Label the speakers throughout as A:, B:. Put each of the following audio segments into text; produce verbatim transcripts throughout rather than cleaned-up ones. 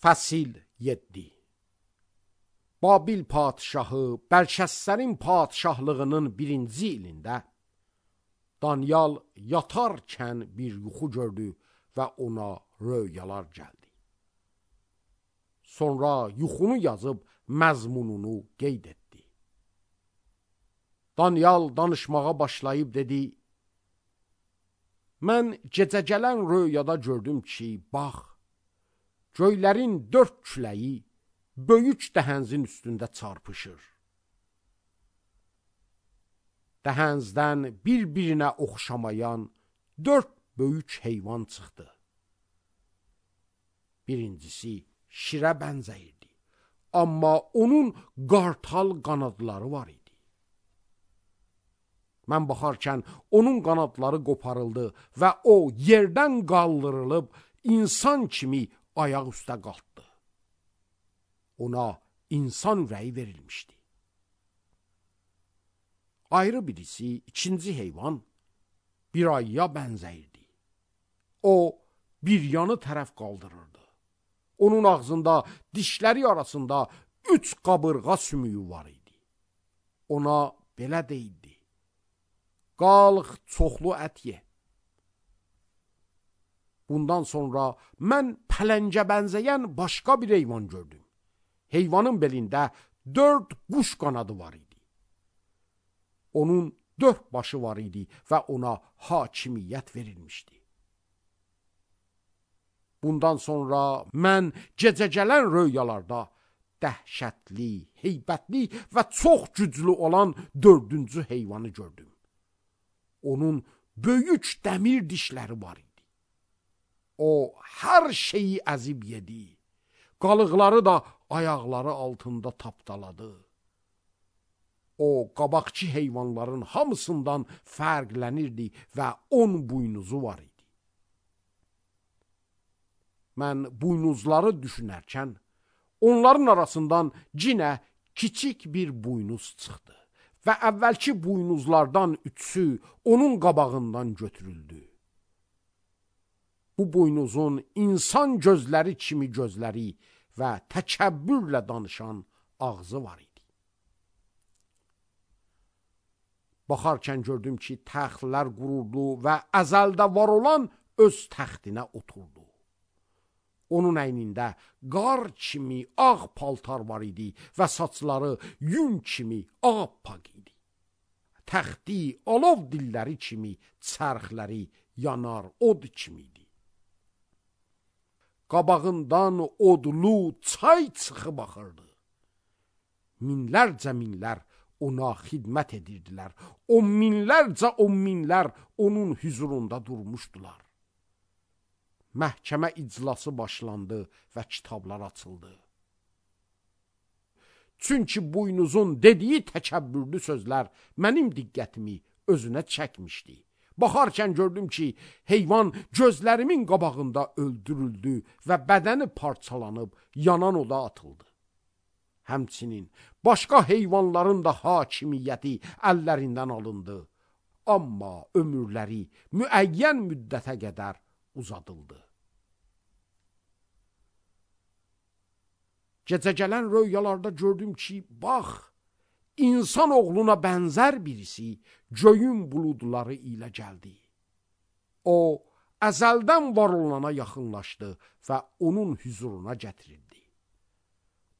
A: Fəsil yeddi. Babil padşahı Bəlşəssərin padşahlığının birinci ilində Danyal yatarkən bir yuxu gördü və ona röyalar gəldi. Sonra yuxunu yazıb məzmununu qeyd etdi. Danyal danışmağa başlayıb dedi: Mən gecə gələn röyada gördüm ki, bax, göylərin dörd küləyi böyük dəhənzin üstündə çarpışır. Dəhənzdən bir-birinə oxşamayan dörd böyük heyvan çıxdı. Birincisi şirə bənzəyirdi, amma onun qartal qanadları var idi. Mən baxarkən onun qanadları qoparıldı və o yerdən qaldırılıb insan kimi ayaq üstə qalxdı. Ona insan ürəyi verilmişdi. Ayrı birisi, ikinci heyvan, bir ayıya bənzəyirdi. O, bir yanı tərəf qaldırırdı. Onun ağzında, dişləri arasında üç qabırğa sümüyü var idi. Ona belə deyildi: Qalx, çoxlu ət ye. Bundan sonra mən pələncə bənzəyən başqa bir heyvan gördüm. Heyvanın belində dörd quş qanadı var idi. Onun dörd başı var idi və ona hakimiyyət verilmişdi. Bundan sonra mən gecə gələn röyalarda dəhşətli, heybətli və çox güclü olan dördüncü heyvanı gördüm. Onun böyük dəmir dişləri var idi. O, hər şeyi əzib yedi. Qalıqları da ayaqları altında tapdaladı. O, qabaqçı heyvanların hamısından fərqlənirdi və on buynuzu var idi. Mən buynuzları düşünərkən, onların arasından cinə kiçik bir buynuz çıxdı və əvvəlki buynuzlardan üçü onun qabağından götürüldü. Bu buynuzun insan gözləri kimi gözləri və təkəbbürlə danışan ağzı var idi. Baxarkən gördüm ki, təxtlər quruldu və əzəldə var olan öz təxtinə oturdu. Onun əynində qar kimi ağ paltar var idi və saçları yün kimi ağappaq idi. Təxti alov dilləri kimi, çərxləri yanar od kimi idi. Qabağından odlu çay çıxıb axırdı. Minlərcə minlər ona xidmət edirdilər. On minlərcə on minlər onun hüzurunda durmuşdular. Məhkəmə iclası başlandı və kitablar açıldı. Çünki buynuzun dediyi təkəbbürlü sözlər mənim diqqətimi özünə çəkmişdi. Baxarkən gördüm ki, heyvan gözlərimin qabağında öldürüldü və bədəni parçalanıb yanan oda atıldı. Həmçinin başqa heyvanların da hakimiyyəti əllərindən alındı. Amma ömürləri müəyyən müddətə qədər uzadıldı. Gecə gələn röyalarda gördüm ki, bax, insan oğluna bənzər birisi göyün buludları ilə gəldi. O, əzəldən var olana yaxınlaşdı və onun hüzuruna gətirildi.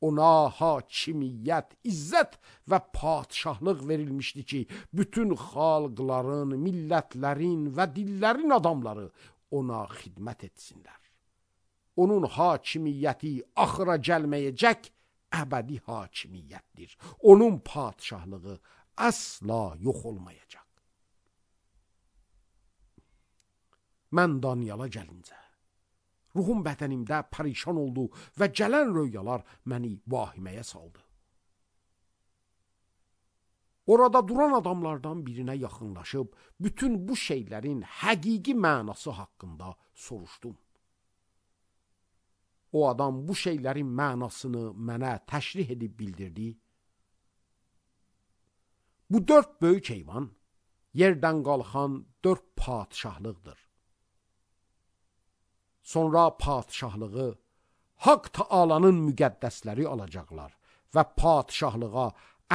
A: Ona hakimiyyət, izzət və padşahlıq verilmişdi ki, bütün xalqların, millətlərin və dillərin adamları ona xidmət etsinlər. Onun hakimiyyəti axıra gəlməyəcək əbədi hakimiyyətdir. Onun padşahlığı əsla yox olmayacaq. Mən Danyala gəlincə, ruhum bədənimdə pərişan oldu və gələn röyalar məni vahiməyə saldı. Orada duran adamlardan birinə yaxınlaşıb, bütün bu şeylərin həqiqi mənası haqqında soruşdum. O adam bu şeylərin mənasını mənə təşrih edib bildirdi. Bu dörd böyük heyvan yerdən qalxan dörd padşahlıqdır. Sonra padşahlığı Haqq Taalanın müqəddəsləri alacaqlar və padişahlığa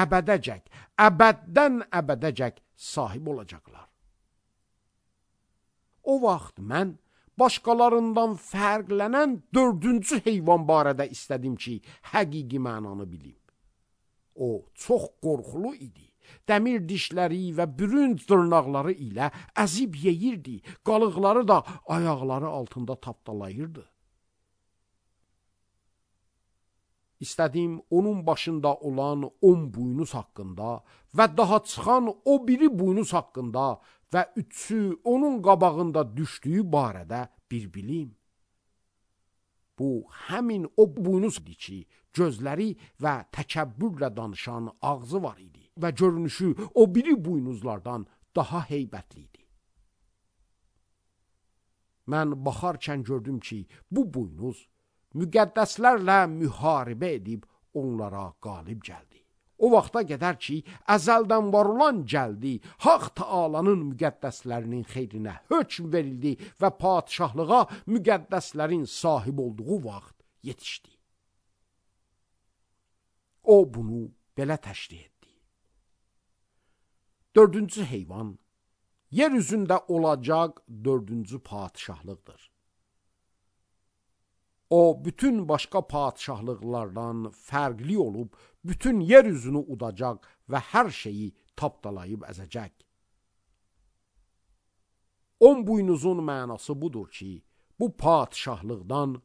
A: əbədəcək, əbəddən əbədəcək sahib olacaqlar. O vaxt mən başqalarından fərqlənən dördüncü heyvan barədə istədim ki, həqiqi mənanı bilim. O çox qorxulu idi. Dəmir dişləri və bürünc dırnaqları ilə əzib yeyirdi, qalıqları da ayaqları altında tapdalayırdı. İstədim onun başında olan on buynuz haqqında və daha çıxan o biri buynuz haqqında və üçü onun qabağında düşdüyü barədə bir bilim. Bu, həmin o buynuz idi ki, gözləri və təkəbbürlə danışan ağzı var idi və görünüşü o biri buynuzlardan daha heybətli idi. Mən baxarkən gördüm ki, bu buynuz müqəddəslərlə müharibə edib onlara qalib gəldi. O vaxta qədər ki, əzəldən var olan gəldi, Haqq Taalanın müqəddəslərinin xeyrinə hökm verildi və padişahlığa müqəddəslərin sahib olduğu vaxt yetişdi. O bunu belə təşrih etdi. Dördüncü heyvan, yer üzündə olacaq dördüncü padişahlıqdır. O, bütün başqa padişahlıqlardan fərqli olub, bütün yer üzünü udacaq və hər şeyi tapdalayıb əzəcək. On buynuzun mənası budur ki, bu padişahlıqdan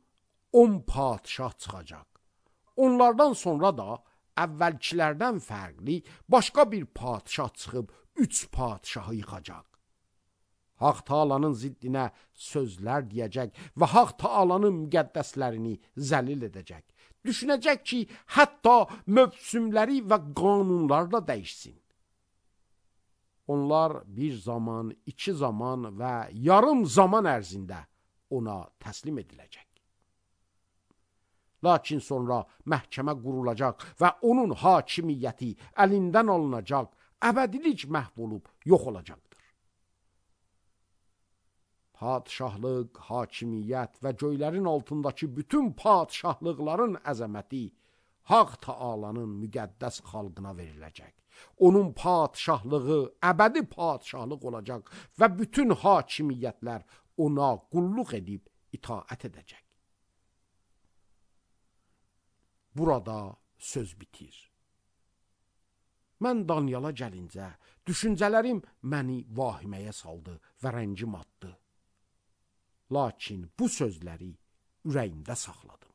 A: on padişah çıxacaq. Onlardan sonra da əvvəlkilərdən fərqli başqa bir padişah çıxıb üç padişahı yıxacaq. Haqq Taalanın ziddinə sözlər deyəcək və Haqq Taalanın müqəddəslərini zəlil edəcək. Düşünəcək ki, hətta mövsümləri və qanunlar da dəyişsin. Onlar bir zaman, iki zaman və yarım zaman ərzində ona təslim ediləcək. Lakin sonra məhkəmə qurulacaq və onun hakimiyyəti əlindən alınacaq, əbədilik məhv olub yox olacaqdır. Padişahlıq, hakimiyyət və göylərin altındakı bütün padişahlıqların əzəməti Haqq Taalanın müqəddəs xalqına veriləcək. Onun padişahlığı əbədi padişahlıq olacaq və bütün hakimiyyətlər ona qulluq edib itaət edəcək. Burada söz bitir. Mən Danyala gəlincə, düşüncələrim məni vahiməyə saldı və rəngim atdı. Lakin bu sözləri ürəyimdə saxladım.